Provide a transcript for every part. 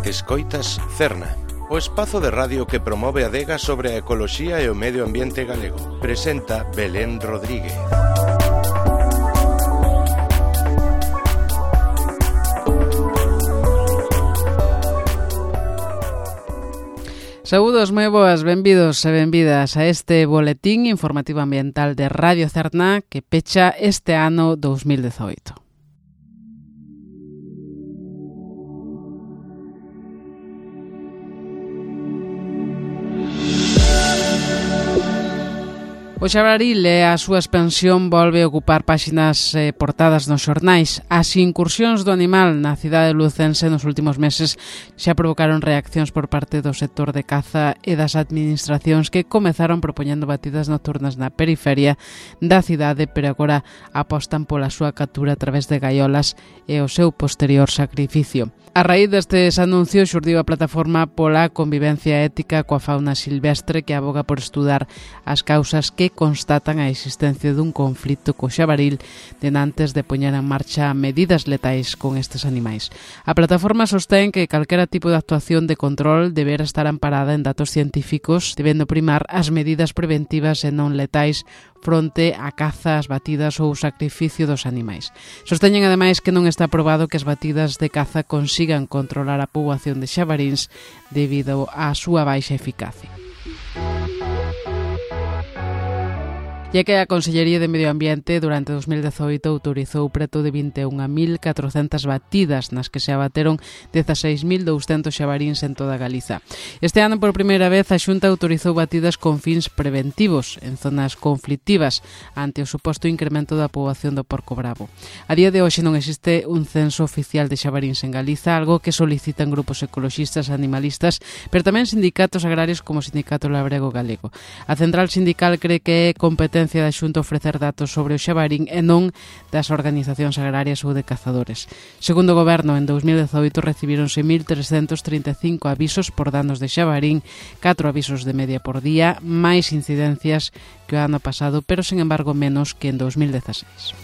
Escoitas Cerna, o espazo de radio que promove a adega sobre a ecoloxía e o medio ambiente galego. Presenta Belén Rodríguez. Saúdos moi boas, benvidos e benvidas a este boletín informativo ambiental de Radio Cerna que pecha este ano 2018. O xabaril e a súa expansión volve a ocupar páxinas portadas nos xornais. As incursións do animal na cidade lucense nos últimos meses xa provocaron reaccións por parte do sector de caza e das administracións que comezaron propoñendo batidas nocturnas na periferia da cidade, pero agora apostan pola súa captura a través de gaiolas e o seu posterior sacrificio. A raíz destes anuncios xurdiu a plataforma pola convivencia ética coa fauna silvestre que aboga por estudar as causas que constatan a existencia dun conflito co xabaril denantes de poñer en marcha medidas letais con estes animais. A plataforma sostén que calquera tipo de actuación de control deberá estar amparada en datos científicos, debendo primar as medidas preventivas e non letais fronte a caza, as batidas ou o sacrificio dos animais. Sosteñen ademais que non está probado que as batidas de caza consigan controlar a poboación de xabaríns debido á súa baixa eficacia. E que a Consellería de Medio Ambiente durante 2018 autorizou preto de 21.400 batidas nas que se abateron 16.200 xabaríns en toda Galiza. Este ano, por primeira vez, a Xunta autorizou batidas con fins preventivos en zonas conflictivas ante o suposto incremento da poboación do porco bravo. A día de hoxe non existe un censo oficial de xabaríns en Galiza, algo que solicitan grupos ecoloxistas e animalistas, pero tamén sindicatos agrarios como o Sindicato Labrego Galego. A Central Sindical cree que é competente da Xunta ofrecer datos sobre o xabarín e non das organizacións agrarias ou de cazadores. Segundo o Goberno, en 2018 recibíronse 1.335 avisos por danos de xabarín, 4 avisos de media por día, máis incidencias que o ano pasado, pero, sen embargo, menos que en 2016.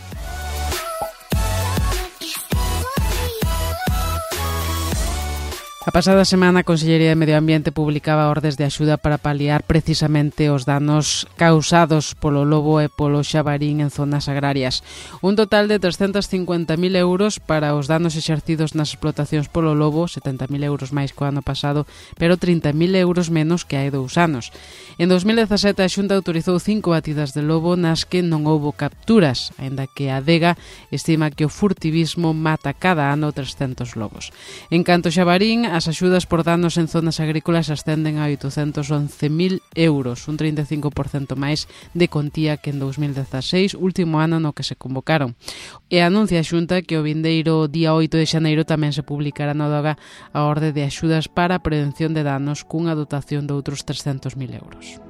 A pasada semana a Consellería de Medio Ambiente publicaba ordes de axuda para paliar precisamente os danos causados polo lobo e polo xabarín en zonas agrarias. Un total de 350.000 euros para os danos exercidos nas explotacións polo lobo, 70.000 euros máis que o ano pasado, pero 30.000 euros menos que hai 2 anos. En 2017 a Xunta autorizou 5 batidas de lobo nas que non houbo capturas, aínda que a adega estima que o furtivismo mata cada ano 300 lobos. En canto xabarín, as axudas por danos en zonas agrícolas ascenden a 811.000 euros, un 35% máis de contía que en 2016, último ano no que se convocaron. E anuncia a Xunta que o vindeiro día 8 de xaneiro tamén se publicará no DOGA a orde de axudas para a prevención de danos cunha dotación de outros 300.000 euros.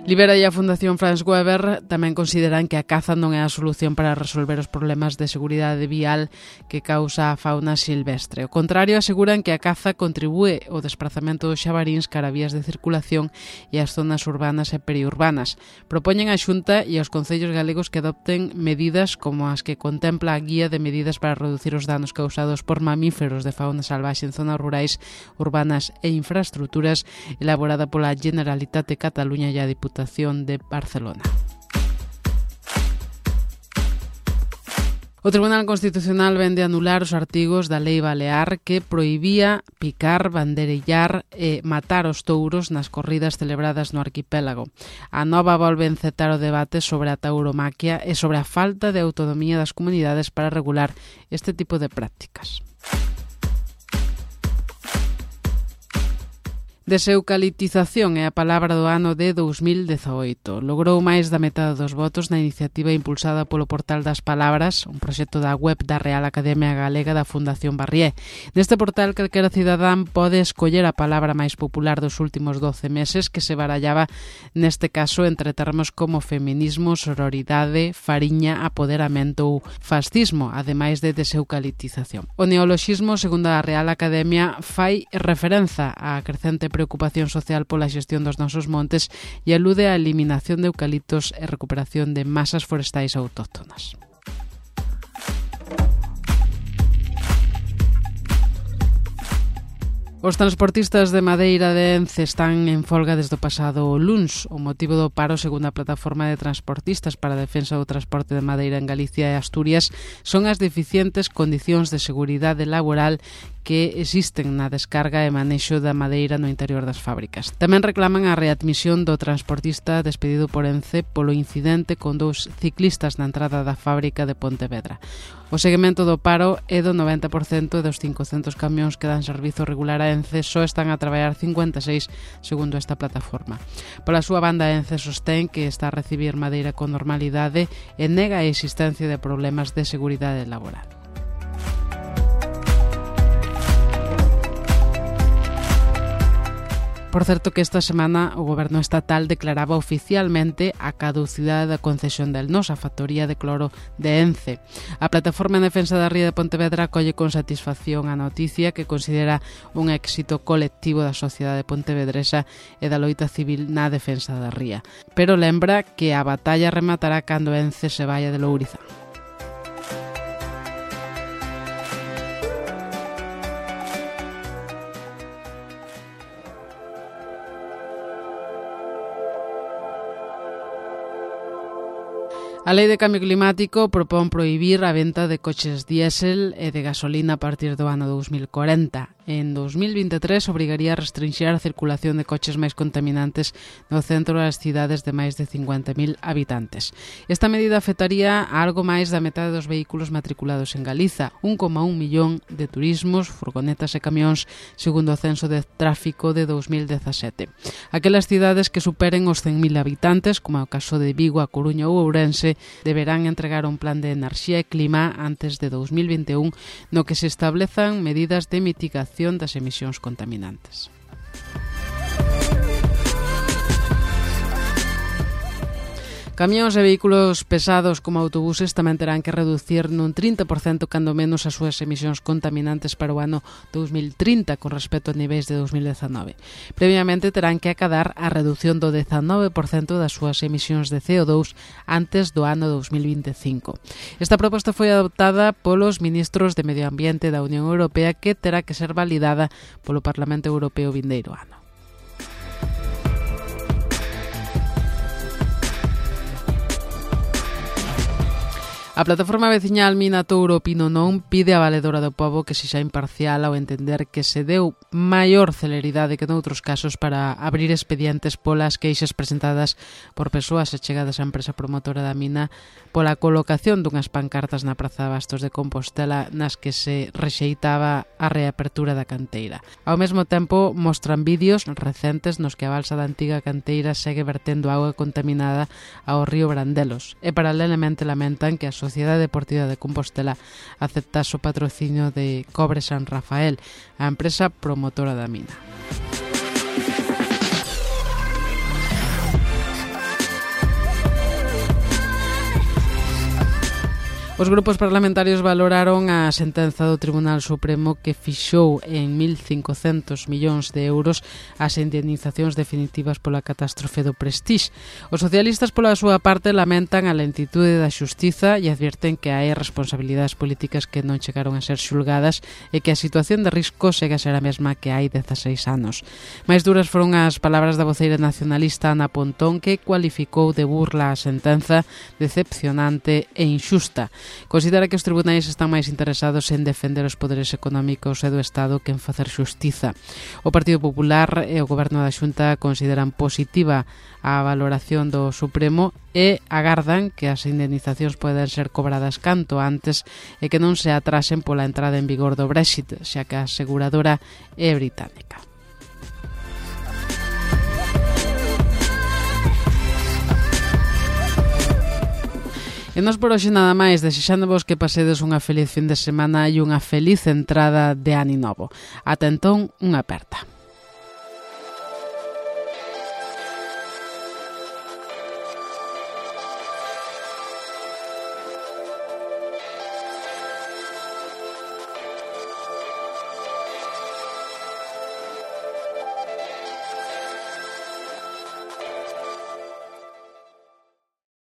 Libera e a Fundación Franz Weber tamén consideran que a caza non é a solución para resolver os problemas de seguridade vial que causa a fauna silvestre. Ao contrario, aseguran que a caza contribúe ao desprazamento dos xabaríns cara a vías de circulación e as zonas urbanas e periurbanas. Propoñen á Xunta e aos concellos galegos que adopten medidas como as que contempla a Guía de Medidas para reducir os danos causados por mamíferos de fauna salvaxe en zonas rurais, urbanas e infraestructuras, elaborada pola Generalitat de Cataluña e a Diputación de Barcelona. O Tribunal Constitucional vende anular os artigos da Lei Balear que prohibía picar, banderillar e matar os touros nas corridas celebradas no arquipélago. A nova volve encetar o debate sobre a tauromaquia e sobre a falta de autonomía das comunidades para regular este tipo de prácticas. Deseucaliptización é a palabra do ano de 2018. Logrou máis da metade dos votos na iniciativa impulsada polo Portal das Palabras, un proxecto da web da Real Academia Galega da Fundación Barrié. Neste portal, calquera cidadán pode escoller a palabra máis popular dos últimos 12 meses que se barallaba, neste caso, entre termos como feminismo, sororidade, fariña, apoderamento ou fascismo, ademais de deseucaliptización. O neoloxismo, segundo a Real Academia, fai referenza á crecente preocupación social pola xestión dos nosos montes e alude á eliminación de eucaliptos e recuperación de masas forestais autóctonas. Os transportistas de madeira de Ence están en folga desde o pasado luns. O motivo do paro, segundo a plataforma de transportistas para a defensa do transporte de madeira en Galicia e Asturias, son as deficientes condicións de seguridade laboral que existen na descarga e manexo da madeira no interior das fábricas. Tamén reclaman a readmisión do transportista despedido por Ence polo incidente con 2 ciclistas na entrada da fábrica de Pontevedra. O seguimento do paro é do 90% e dos 500 camións que dan servizo regular a Ence só están a traballar 56, segundo esta plataforma. Pola súa banda, Ence sostén que está a recibir madeira con normalidade e nega a existencia de problemas de seguridade laboral. Por certo que esta semana o Goberno estatal declaraba oficialmente a caducidade da concesión del Nos, a factoría de cloro de Ence. A Plataforma en Defensa da Ría de Pontevedra acolle con satisfacción a noticia que considera un éxito colectivo da sociedade pontevedresa e da loita civil na defensa da ría. Pero lembra que a batalla rematará cando Ence se vaya de Lourizán. A Lei de Cambio Climático propón prohibir a venta de coches diésel e de gasolina a partir do ano 2040. En 2023 obrigaría a restringir a circulación de coches máis contaminantes no centro das cidades de máis de 50.000 habitantes. Esta medida afectaría a algo máis da metade dos vehículos matriculados en Galiza, 1,1 millón de turismos, furgonetas e camións, segundo o censo de tráfico de 2017. Aquelas cidades que superen os 100.000 habitantes, como é o caso de Vigo, A Coruña ou Ourense, deberán entregar un plan de enerxía e clima antes de 2021 no que se establezan medidas de mitigación das emisións contaminantes. Camións e vehículos pesados como autobuses tamén terán que reducir nun 30% cando menos as súas emisións contaminantes para o ano 2030 con respecto a niveis de 2019. Previamente terán que acadar a reducción do 19% das súas emisións de CO2 antes do ano 2025. Esta proposta foi adoptada polos ministros de Medio Ambiente da Unión Europea que terá que ser validada polo Parlamento Europeo vindeiro ano. A plataforma veciñal Mina Touro Pino Non pide á valedora do pobo que sexa imparcial ao entender que se deu maior celeridade que noutros casos para abrir expedientes polas queixas presentadas por persoas achegadas á empresa promotora da mina pola colocación dunhas pancartas na Praza de Bastos de Compostela nas que se rexeitaba a reapertura da canteira. Ao mesmo tempo mostran vídeos recentes nos que a balsa da antiga canteira segue vertendo auga contaminada ao río Brandelos e paralelamente lamentan que a Sociedade Deportiva de Compostela aceptase o patrocinio de Cobre San Rafael, a empresa promotora da mina. Os grupos parlamentarios valoraron a sentenza do Tribunal Supremo que fixou en 1.500 millóns de euros as indemnizacións definitivas pola catástrofe do Prestige. Os socialistas, pola súa parte, lamentan a lentitude da xustiza e advirten que hai responsabilidades políticas que non chegaron a ser xulgadas e que a situación de risco segue a ser a mesma que hai 16 anos. Máis duras foron as palabras da voceira nacionalista Ana Pontón, que cualificou de burla a sentenza, decepcionante e inxusta. Considera que os tribunais están máis interesados en defender os poderes económicos e do Estado que en facer xustiza. O Partido Popular e o Goberno da Xunta consideran positiva a valoración do Supremo e agardan que as indemnizacións poden ser cobradas canto antes e que non se atrasen pola entrada en vigor do Brexit, xa que a aseguradora é británica. E nos por hoxe nada máis, desexándovos que pasedes unha feliz fin de semana e unha feliz entrada de ano novo. Ata entón, unha aperta.